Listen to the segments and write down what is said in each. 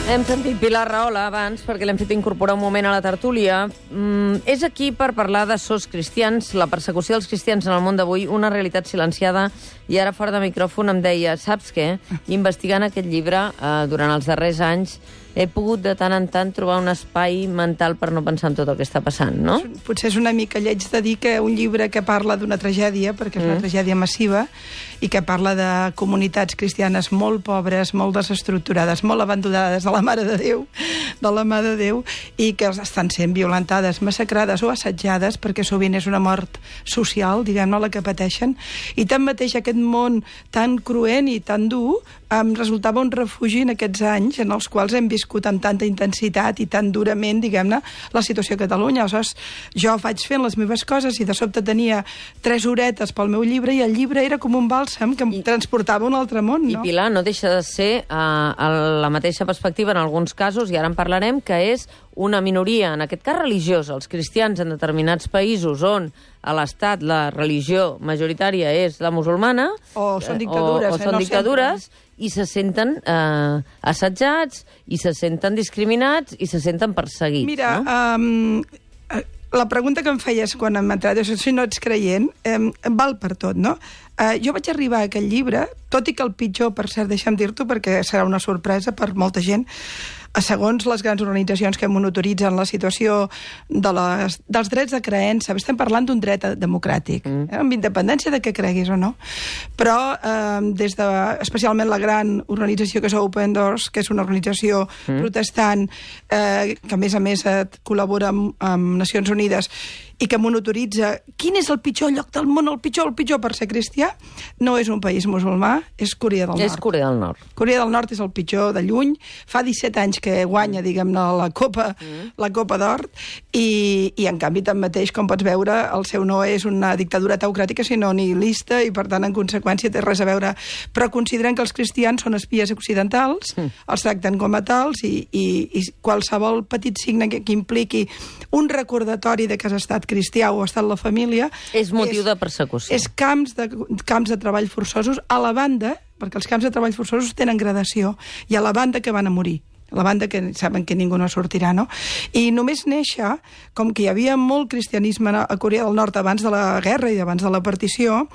Hem sentit Pilar Rahola abans perquè l'hem fet incorporar un moment a la tertúlia. És aquí per parlar de sos cristians, la persecució dels cristians en el món d'avui, una realitat silenciada, i ara fora de micròfon em deia, saps què? Investigant aquest llibre durant els darrers anys he pogut de tant en tant trobar un espai mental per no pensar en tot el que està passant, no? Potser és una mica lleig de dir que un llibre que parla d'una tragèdia, perquè és una tragèdia massiva, i que parla de comunitats cristianes molt pobres, molt desestructurades, molt abandonades de la Mare de Déu, i que estan sent violentades, massacrades o assetjades, perquè sovint és una mort social, diguem-ne, la que pateixen. I tanmateix aquest món tan cruent i tan dur em resultava un refugi en aquests anys en els quals hem viscut amb tanta intensitat i tan durament, diguem-ne, la situació a Catalunya. Aleshores, jo vaig fent les meves coses i de sobte tenia 3 horetes pel meu llibre i el llibre era com un bàlsam que em transportava a un altre món, no? I Pilar, no deixa de ser la mateixa perspectiva en alguns casos, i ara en parlarem, que és una minoria, en aquest cas religiosa, els cristians en determinats països on a l'Estat la religió majoritària és la musulmana, o són dictadures, o són dictadures, i se senten assetjats, i se senten discriminats, i se senten perseguits. Mira, no? La pregunta que em feies quan hem entrat, si no ets creient, val per tot, no? Jo vaig arribar a aquest llibre, tot i que el pitjor, per cert, deixa'm dir-t'ho, perquè serà una sorpresa per molta gent, segons les grans organitzacions que monitoritzen la situació dels drets de creença, estem parlant d'un dret democràtic, amb independència de què creguis o no. Però des de, especialment la gran organització que és Open Doors, que és una organització protestant, que a més col·labora amb Nacions Unides, i que monitoritza quin és el pitjor lloc del món, el pitjor per ser cristià, no és un país musulmà, és Corea del Nord. És Corea del Nord. Corea del Nord és el pitjor de lluny. Fa 17 anys que guanya, diguem-ne, la Copa d'Or, i en canvi, tanmateix, com pots veure, el seu no és una dictadura teocràtica, sinó nihilista, i per tant, en conseqüència, té res a veure. Però consideren que els cristians són espies occidentals, els tracten com a tals, i qualsevol petit signe que impliqui un recordatori de que has estat cristià o ha estat la família... És motiu de persecució. És camps de treball forçosos a la banda, perquè els camps de treball forçosos tenen gradació, i a la banda que van a morir. La banda que saben que ningú no sortirà, no? I només néixer, com que hi havia molt cristianisme a Corea del Nord abans de la guerra i abans de la partició,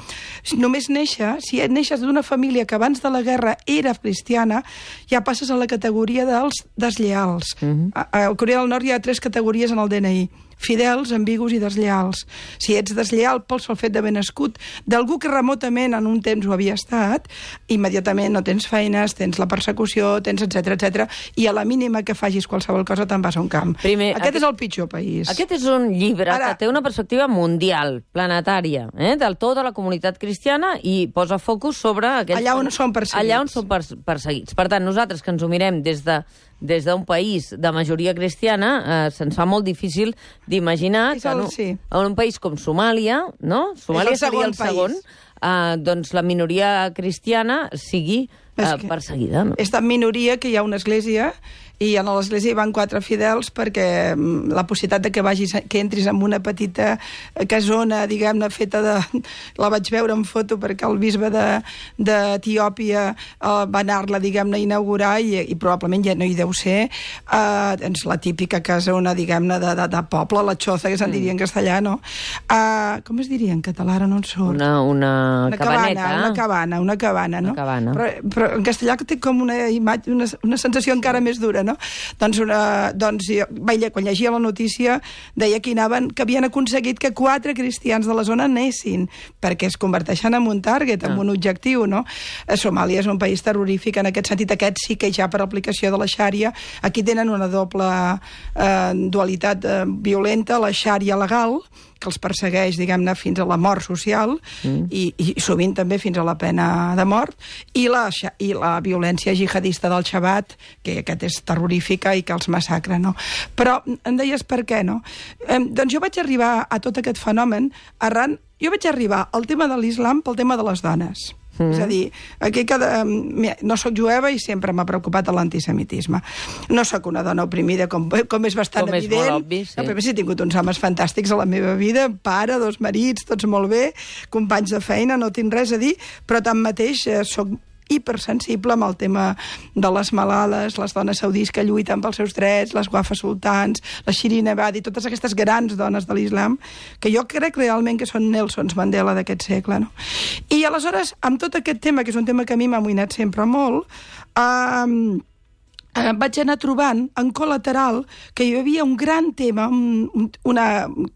només néixer, si neixes d'una família que abans de la guerra era cristiana, ja passes a la categoria dels deslleals. A Corea del Nord hi ha 3 categories en el DNI: fidels, ambigus i deslleals. Si ets deslleal pel sol fet d'haver nascut d'algú que remotament en un temps ho havia estat, immediatament no tens feines, tens la persecució, tens etc, i a la mínima que facis qualsevol cosa te'n vas a un camp. Aquest és el pitjor país. Aquest és un llibre que té una perspectiva mundial, planetària, del tota la comunitat cristiana, i posa focus sobre allà on són perseguits. Allà on són perseguits. Per tant, nosaltres que ens ho mirem des d'un país de majoria cristiana, se'ns fa molt difícil d'imaginar que en un país com Somàlia, no? Somàlia seria el segon, doncs la minoria cristiana sigui perseguida. No? És tan minoria que hi ha una església, i a l'església hi van 4 fidels perquè la possibilitat de que entris en una petita casona, diguem-ne, feta de... La vaig veure en foto perquè el bisbe d'Etiòpia va anar-la, diguem-ne, a inaugurar, i probablement ja no hi deu ser, doncs la típica casona, diguem-ne, de poble, la xoza, que se'n diria en castellà, no? Com es diria en català? Ara no en surt. Una cabaneta. Una cabana, no? Una cabana. Però en castellà té com una imatge, una sensació encara més dura, no? Doncs quan llegia la notícia deia que havien aconseguit que 4 cristians de la zona anessin, perquè es converteixen en un target, en un objectiu, no? Somàlia és un país terrorífic en aquest sentit. Aquest sí que ja per aplicació de la xària, aquí tenen una doble dualitat violenta, la xària legal, que els persegueix, diguem-ne, fins a la mort social, i sovint també fins a la pena de mort, i la violència jihadista del Xabat, que aquest és terrorífica i que els massacra, no? Però em deies per què, no? Doncs jo vaig arribar a tot aquest fenomen jo vaig arribar al tema de l'islam pel tema de les dones. És a dir, aquí no soc jueva i sempre m'ha preocupat l'antisemitisme. No soc una dona oprimida, com és bastant evident. Com és molt obvi, sí. A més, he tingut uns homes fantàstics a la meva vida, pare, 2 marits, tots molt bé, companys de feina, no tinc res a dir, però tanmateix soc hipersensible amb el tema de les malales, les dones saudís que lluiten pels seus drets, les Wafa sultans, la Shirin Ebadi, totes aquestes grans dones de l'islam, que jo crec realment que són Nelsons Mandela d'aquest segle, no? I aleshores, amb tot aquest tema, que és un tema que a mi m'ha amoïnat sempre molt, vaig anar trobant en col·lateral que hi havia un gran tema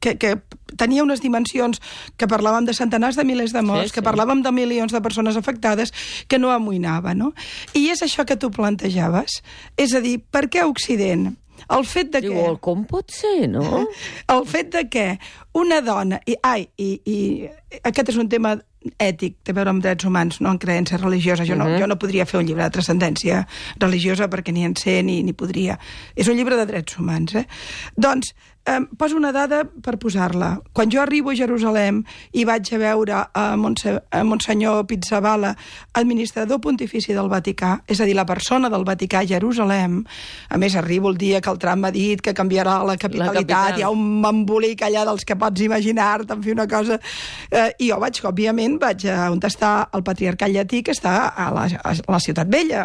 que tenia unes dimensions, que parlàvem de centenars de milers de morts, que parlàvem de milions de persones afectades, que no amoïnava, no? I és això que tu plantejaves. És a dir, per què Occident? El fet de que... Diu, com pot ser, no? El fet de que una dona... I aquest és un tema ètic, té a veure amb drets humans, no en creença religiosa. Jo no podria fer un llibre de transcendència religiosa perquè ni en sé ni podria. És un llibre de drets humans, Doncs, poso una dada per posar-la. Quan jo arribo a Jerusalem i vaig a veure a Monsenyor Pizzaballa, administrador pontifici del Vaticà, és a dir, la persona del Vaticà a Jerusalem, a més arribo el dia que el Trump m'ha dit que canviarà la capitalitat, hi ha un embolic allà dels que pots imaginar-te, en fi, una cosa... I jo òbviament, vaig a on està el patriarcat llatí, que està a la Ciutat Vella.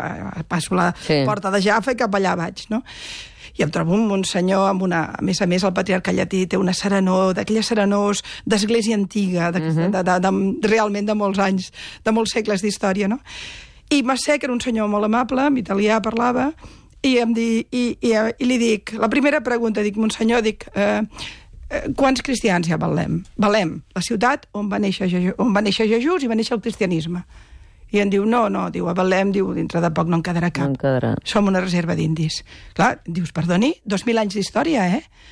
Passo la porta de Jaffa i cap allà vaig, no? I em trobo un monsenyor amb una... A més, el patriarcat llatí té una serenor, d'aquelles serenors d'església antiga, realment de molts anys, de molts segles d'història, no? I Massé, que era un senyor molt amable, en italià parlava, i li dic, la primera pregunta, dic, monsenyor, quants cristians ja valem? Valem la ciutat on va néixer Jesús i va néixer el cristianisme. I em diu, no, diu, a Betlem, diu, dintre de poc no en quedarà cap. No en quedarà. Som una reserva d'indis. Clar, dius, perdoni, 2.000 anys d'història,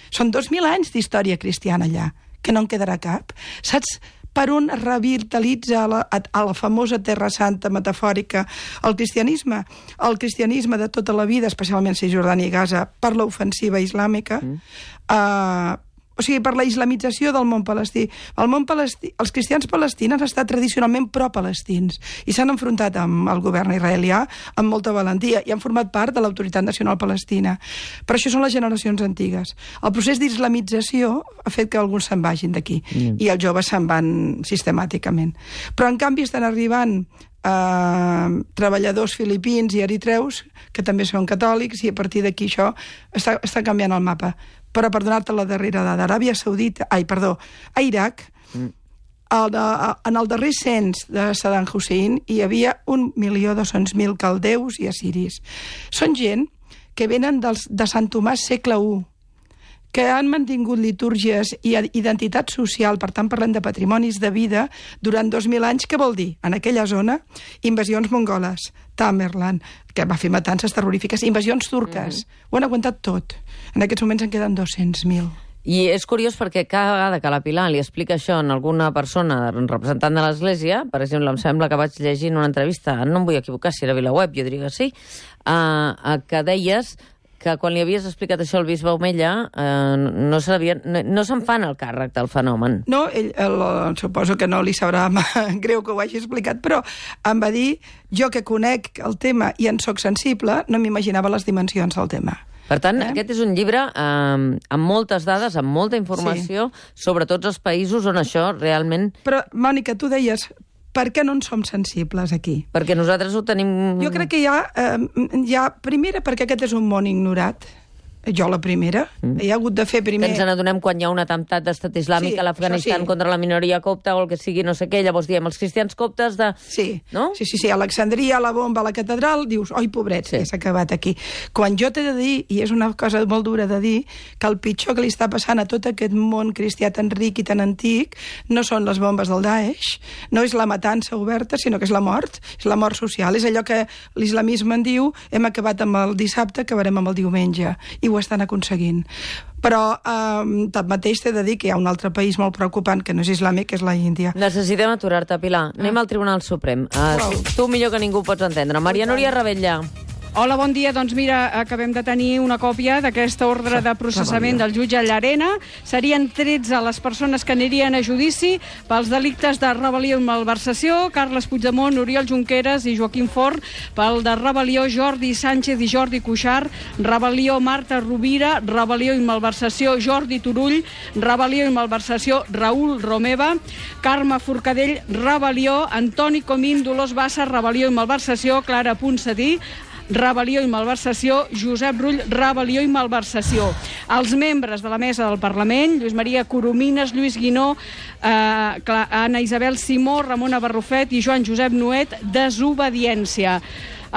Són 2.000 anys d'història cristiana allà, que no en quedarà cap. Saps per on revitalitza a la famosa Terra Santa metafòrica el cristianisme? El cristianisme de tota la vida, especialment Cisjordània i Gaza, per l'ofensiva islàmica, o sigui, per la islamització del món palestí. Els cristians palestins han estat tradicionalment pro-palestins i s'han enfrontat amb el govern israelià amb molta valentia i han format part de l'autoritat nacional palestina. Però això són les generacions antigues. El procés d'islamització ha fet que alguns se'n vagin d'aquí i els joves se'n van sistemàticament. Però, en canvi, estan arribant treballadors filipins i eritreus que també són catòlics i a partir d'aquí això està canviant el mapa. Però per donar-te la darrera dada, a Iraq, en el darrer cens de Saddam Hussein hi havia 1.200.000 caldeus i assiris. Són gent que venen de Sant Tomàs segle I, que han mantingut litúrgies i identitat social, per tant parlem de patrimonis de vida, durant 2.000 anys. Què vol dir? En aquella zona, invasions mongoles, Tamerlan, que va fer matances terrorífiques, invasions turques, ho han aguantat tot. En aquests moments en queden 200.000. I és curiós perquè cada vegada que la Pilar li explica això a alguna persona representant de l'Església, per exemple, em sembla que vaig llegir en una entrevista, no em vull equivocar si era VilaWeb, jo diria que sí, que deies que quan li havies explicat això al bisbe Omella no se'n fan el càrrec del fenomen. No, ell suposo que no li sabrà greu que ho hagi explicat, però em va dir, jo que conec el tema i en soc sensible, no m'imaginava les dimensions del tema. Per tant, aquest és un llibre amb moltes dades, amb molta informació sobre tots els països on això realment... Però, Mònica, tu deies... Per què no en som sensibles aquí? Perquè nosaltres ho tenim... Jo crec que hi ha... Primera, perquè aquest és un món ignorat. Jo la primera. Hi ha hagut de fer primer... Que ens n'adonem quan hi ha un atemptat d'estat islàmic a l'Afganistan contra la minoria copta o el que sigui, no sé què, llavors diem els cristians coptes de... Sí, no? Sí, a Alexandria, a la bomba, a la catedral, dius, oi, pobrets, que s'ha acabat aquí. Quan jo t'he de dir, i és una cosa molt dura de dir, que el pitjor que li està passant a tot aquest món cristià tan ric i tan antic no són les bombes del Daesh, no és la matança oberta, sinó que és la mort social. És allò que l'islamisme en diu, hem acabat amb el dissabte, acabarem amb el diumenge. I ho estan aconseguint. Però tanmateix t'he de dir que hi ha un altre país molt preocupant que no és islàmic, que és la Índia. Necessitem aturar-te, Pilar. Anem al Tribunal Suprem. Tu millor que ningú pots entendre. Maria Núria Ravella. Hola, bon dia. Doncs mira, acabem de tenir una còpia d'aquesta ordre de processament del jutge Llarena. Serien 13 les persones que anirien a judici pels delictes de rebel·lió i malversació: Carles Puigdemont, Oriol Junqueras i Joaquim Forn; pel de rebel·lió, Jordi Sánchez i Jordi Cuixart; rebel·lió, Marta Rovira; rebel·lió i malversació, Jordi Turull; rebel·lió i malversació, Raül Romeva; Carme Forcadell, rebel·lió; Antoni Comín, Dolors Bassa, rebel·lió i malversació; Clara Ponsatí, rebel·lió i malversació; Josep Rull, rebel·lió i malversació. Els membres de la mesa del Parlament: Lluís Maria Coromines, Lluís Guinó, Anna Isabel Simó, Ramona Barrufet i Joan Josep Nuet, desobediència.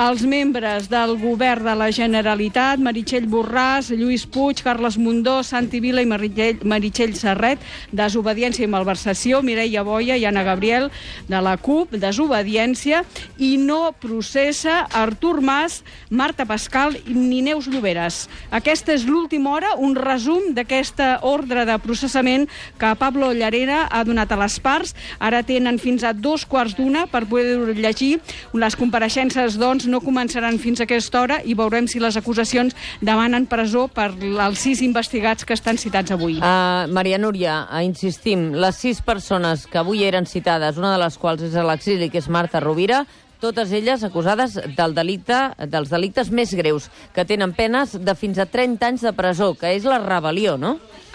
Els membres del govern de la Generalitat: Meritxell Borràs, Lluís Puig, Carles Mundó, Santi Vila i Meritxell Serret, desobediència i malversació; Mireia Boia i Anna Gabriel, de la CUP, desobediència; i no processa Artur Mas, Marta Pascal ni Neus Lloberes. Aquesta és l'última hora, un resum d'aquesta ordre de processament que Pablo Llarena ha donat a les parts. Ara tenen fins a 2:15 per poder llegir. Les compareixences, doncs, no començaran fins a aquesta hora i veurem si les acusacions demanen presó per als 6 investigats que estan citats avui. Maria Núria, insistim, les 6 persones que avui eren citades, una de les quals és a l'exili, que és Marta Rovira, totes elles acusades dels delictes més greus, que tenen penes de fins a 30 anys de presó, que és la rebel·lió, no?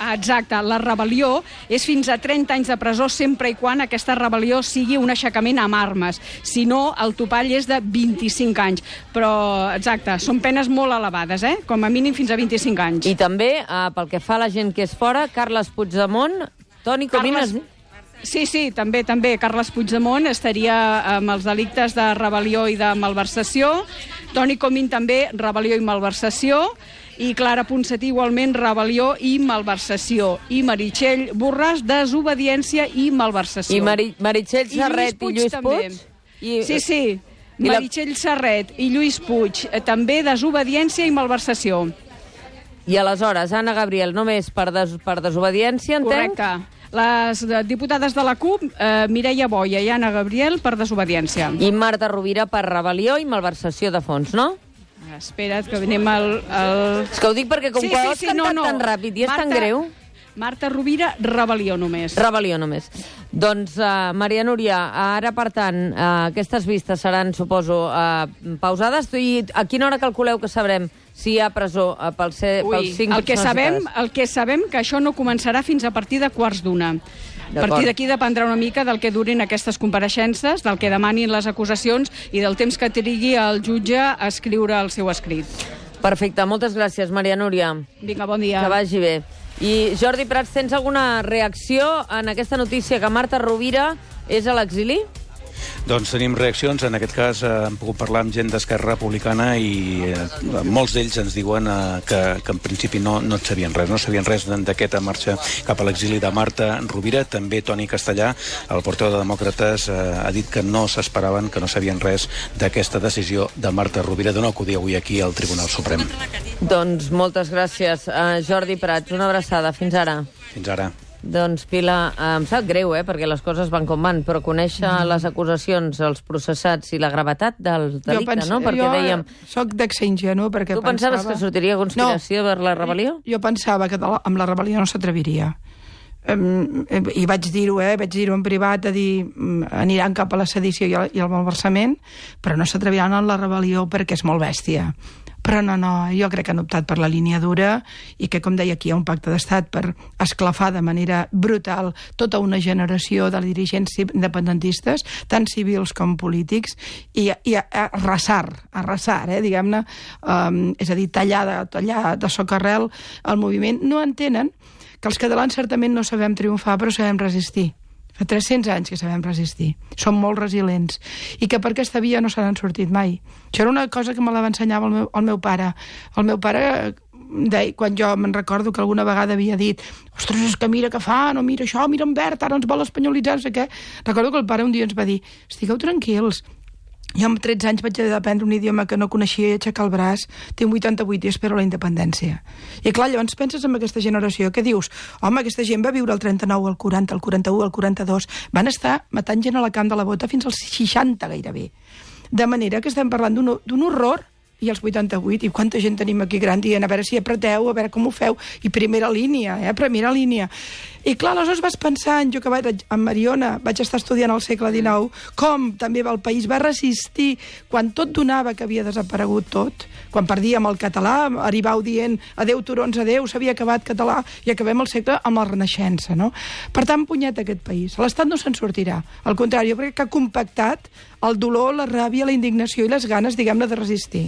Exacte, la rebel·lió és fins a 30 anys de presó sempre i quan aquesta rebel·lió sigui un aixecament amb armes. Si no, el topall és de 25 anys. Però, exacte, són penes molt elevades, com a mínim fins a 25 anys. I també, pel que fa a la gent que és fora, Carles Puigdemont, Toni Comines... Sí, també. Carles Puigdemont estaria amb els delictes de rebel·lió i de malversació. Toni Comín també, rebel·lió i malversació. I Clara Ponsatí, igualment, rebel·lió i malversació. I Meritxell Borràs, desobediència i malversació. I Meritxell Serret i Lluís Puig? Sí. Meritxell Serret i Lluís Puig, també desobediència i malversació. I aleshores, Anna Gabriel, només per desobediència, entenc? Correcte. Les diputades de la CUP, Mireia Boia i Anna Gabriel, per desobediència. I Marta Rovira per rebel·lió i malversació de fons, no? Espera't, que anem al... És que ho dic perquè com que ho has cantat tan ràpid i és tan greu... Marta Rovira, rebel·lió només. Rebel·lió només. Doncs, Maria Núria, ara, per tant, aquestes vistes seran, suposo, pausades. I a quina hora calculeu que sabrem si hi ha presó pels 5 persones? El que sabem que això no començarà fins a partir de 1:15. A partir d'aquí dependrà una mica del que durin aquestes compareixences, del que demanin les acusacions i del temps que trigui el jutge a escriure el seu escrit. Perfecte, moltes gràcies, Maria Núria. Vinga, bon dia. Que vagi bé. I Jordi Prats, tens alguna reacció en aquesta notícia que Marta Rovira és a l'exili? Doncs tenim reaccions. En aquest cas hem pogut parlar amb gent d'Esquerra Republicana i molts d'ells ens diuen que en principi no sabien res. No sabien res d'aquesta marxa cap a l'exili de Marta Rovira. També Toni Castellà, el portaveu de Demòcrates, ha dit que no s'esperaven, que no sabien res d'aquesta decisió de Marta Rovira de no acudir avui aquí al Tribunal Suprem. Doncs moltes gràcies, Jordi Prats. Una abraçada. Fins ara. Fins ara. Doncs, Pilar, em sap greu, perquè les coses van com van, però conèixer les acusacions, els processats i la gravetat del delicte, no? Perquè dèiem... Soc d'ex-ingenu, perquè tu pensaves que sortiria conspiració per la rebel·lió? Jo pensava que amb la rebel·lió no s'atreviria. I vaig dir-ho en privat, a dir, aniran cap a la sedició i el malversament, però no s'atreviran en la rebel·lió perquè és molt bèstia. Però no, jo crec que han optat per la línia dura i que, com deia, aquí hi ha un pacte d'estat per esclafar de manera brutal tota una generació de dirigents independentistes, tant civils com polítics, i arrasar, diguem-ne, és a dir, tallar de socarrel el moviment. No entenen que els catalans certament no sabem triomfar, però sabem resistir. Fa 300 anys que sabem resistir. Som molt resilients. I que per aquesta via no se n'han sortit mai. Això era una cosa que me la va ensenyar el meu pare. El meu pare, quan jo me'n recordo que alguna vegada havia dit ostres, és que mira què fan, o mira això, mira en verd, ara ens vol espanyolitzar, no sé què. Recordo que el pare un dia ens va dir, estigueu tranquils, jo amb 13 anys vaig haver d'aprendre un idioma que no coneixia i aixecar el braç, tinc 88 i espero la independència. I clar, llavors penses en aquesta generació, què dius? Home, aquesta gent va viure el 39, el 40, el 41, el 42, van estar matant gent a la camp de la bota fins als 60 gairebé. De manera que estem parlant d'un horror i els 88, i quanta gent tenim aquí gran dient, a veure si apreteu, a veure com ho feu, i primera línia, primera línia. I clar, aleshores vas pensant, jo que vaig a Mariona, vaig estar estudiant al segle XIX, com també el país va resistir quan tot donava que havia desaparegut tot, quan perdíem el català, arribau dient adeu turons, adeu, s'havia acabat català, i acabem el segle amb la Renaixença, no? Per tant, punyet aquest país. L'Estat no se'n sortirà. Al contrari, jo crec que ha compactat el dolor, la ràbia, la indignació i les ganes, diguem-ne, de resistir.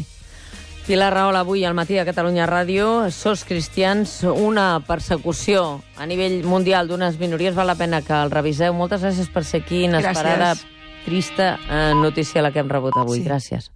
Pilar Rahola, avui al Matí de Catalunya Ràdio, Sos Cristians, una persecució a nivell mundial d'unes minories, val la pena que el reviseu. Moltes gràcies per ser aquí, inesperada, trista notícia la que hem rebut avui. Sí. Gràcies.